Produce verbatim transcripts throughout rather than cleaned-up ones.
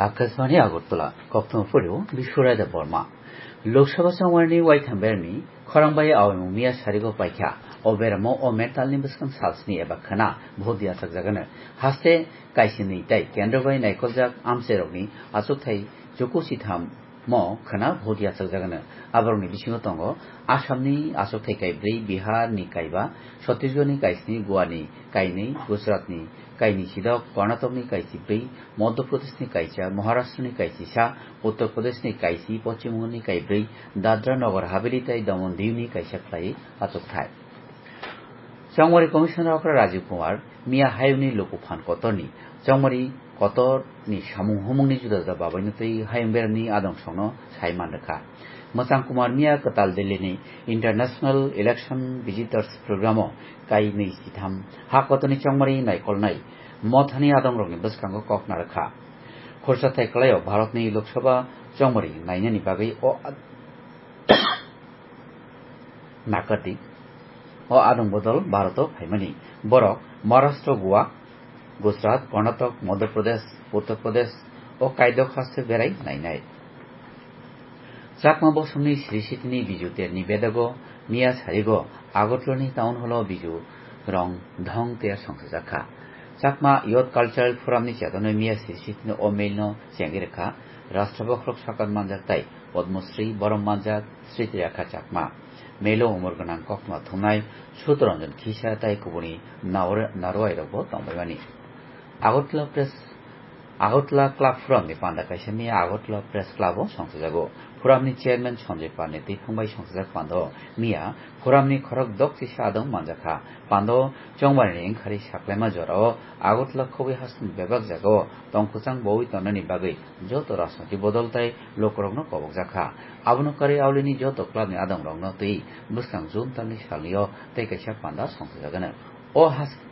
Akashvani Agartala, Koktwma Phuru, Biswaraida Borma. Lok Sabha chongmarni waitham berni khorang bai awimung miya sarigo paikha. O beramo o mentalni bwskang salsni eba khana vote yachakjagano. Haste kaisini tei kendro bai naikoljak amchairokni achukthai chuku sitham mo khana vote yachakjagano. Aborokni bisingo tongo Assamni achukthai kaibrwi, Biharni kaiba, Chhattisgarhni kaisni, Goani kainwi, Gujaratni kaini sidok, Karnatokni kaisi brwi, Madhya Pradeshni kaisa, Maharashtrani kaisisa, Uttar Pradeshni kaisi, Poschim Banghalni kaibrwi, Dadra Nagar Haveli tei Daman Diyuni kaisa khlaiwi achukthai. Chongmari Commissioner okra Rajiv Kumar miya hayungni luku phan kotorni, chongmari kotorni samung humungni juda juda babaino tei hayung beremni adong songno sai man rwkha. Mwchang Kumar miya kwtal Delhini International Election Visitors Programo kainwi sitham ha kotorni chongmari naikolnai mothani adongrokni bwskango kok narwkha. Khorsa thai kwlaio Bharatni Lok Sabha chongmari nainani bagwi o Nakardi. O adong bodol Bharoto phaimani. Borok Maharashtra, Goa, Gujarat, Karnatak, Madhya Pradesh, Uttar Pradesh o kaidok haste berai nainai. Chakma bosongni sri sitini Biju Terni bedago miya sarigo Agartalani town hall o Biju rong dhong ter songsajakha. Chakma Youth Cultural Forum ni chetonoi miya sri sitini o mail no chengwi rwkha Rashtra Bokhorok Sakan manjak tai Padma Shri borom manjak Sriti Rekha Chakma. Melo umor gwnang koktwma thumnai Sudharanjan Khisa tai kubuni naor-, naruai rokbo tongbaimani. Agartala Press, Agartala Club Forum ni panda kaisa miya Agartala Press Club o songsajago. Forum ni chairman Sanjay Pal ni twiphang bai songsajak panda o miya forum ni khorok dok chisa adong manjakha. Panda o chongmari ni wngkhari saklaima jora o Agartala khogwi hasteni bebak jaga o tongkwchang bowi tongnani bagwi joto rajnoitik bodol tai lukurokno kobokjakha. Abono karwi aulini joto clubni adongrokno twi bwskang June talni salnio tei kaisa panda songchajagano. O has-,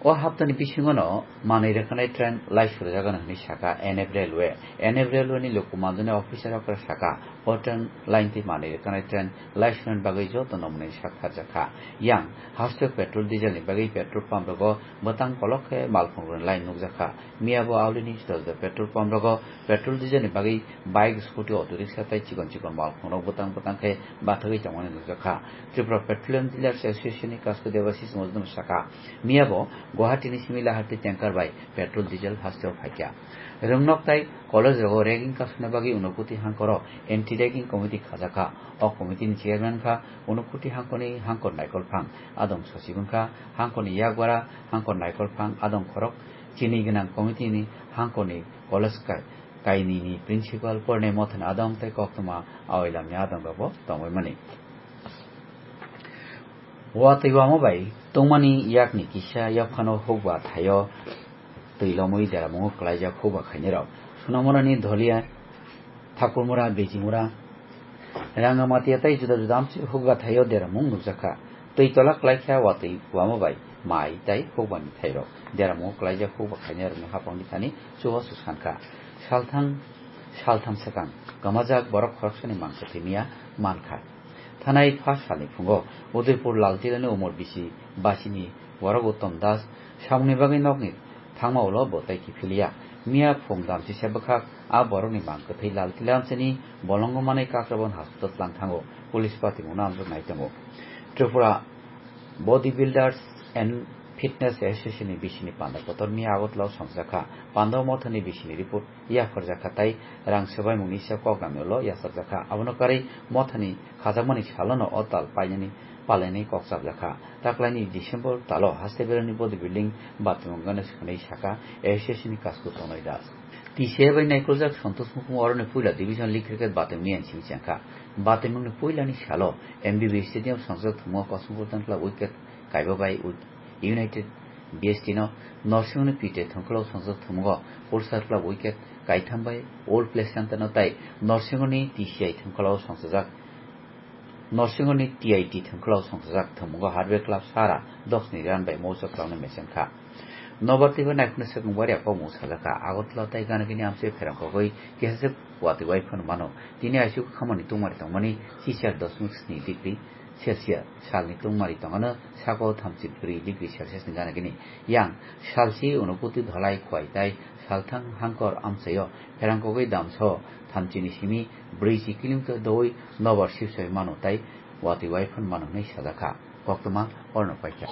o haptani bisingono manwi rwkhanai train lai surjagano hwnwi sakha N F Railway. N F Railway ni luku manjani officer okra sakha, o train line twi manwi rwkhanai train lai surnani bagwi joto nokmani sak pharjakha. Yang hasteo petrol diesel ni bagwi petrol pump rogo bwtang kolok khe malkhung rwni line nukjakha. Miya bo aulini juda juda petrol pump rogo petrol diesel ni bagwi bike, scooty, auto rickshaw tei chikon chikon malkhung rok bwtang bwtang khe bathagwi tongmani nukjakha. Tripura Petroleum Dealers Association ni Kasku Debashish Majumdar sakha, miya bo Guwahati ni simi Lahati tanker bai petrol diesel hasteo phaikha. Rwngnok tai college rogo ragging kasuna bagwi Unakoti hangkoro anti ragging committee khajakha. O committee ni chairman kha Unakoti hangkoni hangkor Naikolphang, adong sochib wngkha hangkoni yakbara hangkor Naikolphang, adong khorok chini gwnang committee ni hangkoni college kai-, kainwi ni principal, porinai mothani adong tei koktwma aoilamni adong rokbo tongwi mani. Watwi wama bai tongmani yakni kisa yaphano hukba thaio twi lomwi deramungo kwlaijak hukba khainai rok. Sonamunani Dholia, Thakurmura, Bejimura, Rangamatia tei juda juda amchwi hukba thaio deramung nukjakha. Twi tola kwlaikha watwi wama bai mai tei hukbani thairok. Deramung kwlaijak hukba khainai rokni hapangni thani chubachu sankha. Salthang, saltham swkang kwmajak borok khoroksani mang kwthwi miya mankha. Thanai pha salni phungo Udaipur Laltilani umor bisi basini borok Uttom Das samungni bagwi nokni thangma ulo bo tei kiphiliya. Miya phung damchisa bwkhak a borokni mang kwthwi Laltila amchaini bolongo manwi Kakrabon hospital tlang thango, police patimungno amjok nai tongo. Tripura Body Builders and Fitness Association ni bisini panda kotor miya Agartala o songjakha. Panda o mothani bisini report yapharjakha tai rang swbaimungni se kok namyalo yachakjakha. Abono karwi mothani khajakmani salono o tal painani palainai kok chapjakha. Taklaini December talo haste berani body building batimung gana swnwi sakha A S S ni Kasku Tonoi Das. T C A bai naikoljak Santosh Mukhung oroni puila division league cricket batimungni N C B chengkha. Batimungni puilani salo M B B stadium songjak thwngmung Kosmopol Club wicket kaiba bai United B S T no Norsingoni Pite thwngkhwlao songjak thwngmungo Ulster Club wicket kaitham bai Old Play Center no tai Norsingoni T C I thwngkhwlao songsajak Norsingoni T I T thwngkhwlao songsajak thwngmungo Hardware Club Sara doksni run bai mousa kwlangno mechengkha. Nobar twibo naikhwno swkang waria kokmung sajakha. Agartala tai ganagini amchai pherang kogwi kisa se watwi wai phano mano. Tini aisuk khamani tungmari tongmani chichar dosmik sni degree Celsius, salni tungmari tongano sako thamchi brwi degree Celsius ni gana gini. Yang salchi Unakoti Dhalai Khwai tai salthang Hangkor amchaio pherangkogwi damso thamchini simi brwichi kilometer doui nobar sibsoi mano tai watwi waiphon mano hinwi sajakha. Koktwma orno paikha.